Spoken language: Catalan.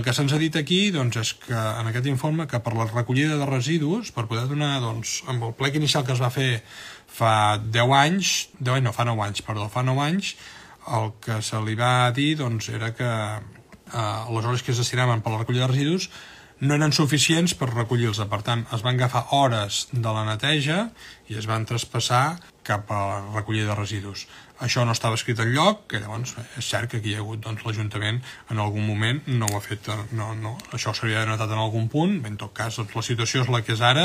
El que se'ns ha dit aquí és que en aquest informe que per la recollida de residus, per poder donar, amb el plec inicial que es va fer fa 9 anys, fa 9 anys, el que se li va dir era que les hores que es destinaven per la recollida de residus no eren suficients per recollir-los. Per tant, es van agafar hores de la neteja i es van traspassar cap a la recollida de residus. Això no estava escrit enlloc, que llavors és cert que aquí hi ha hagut l'Ajuntament en algun moment no ho ha fet, això s'hauria notat en algun punt. En tot cas, la situació és la que és ara,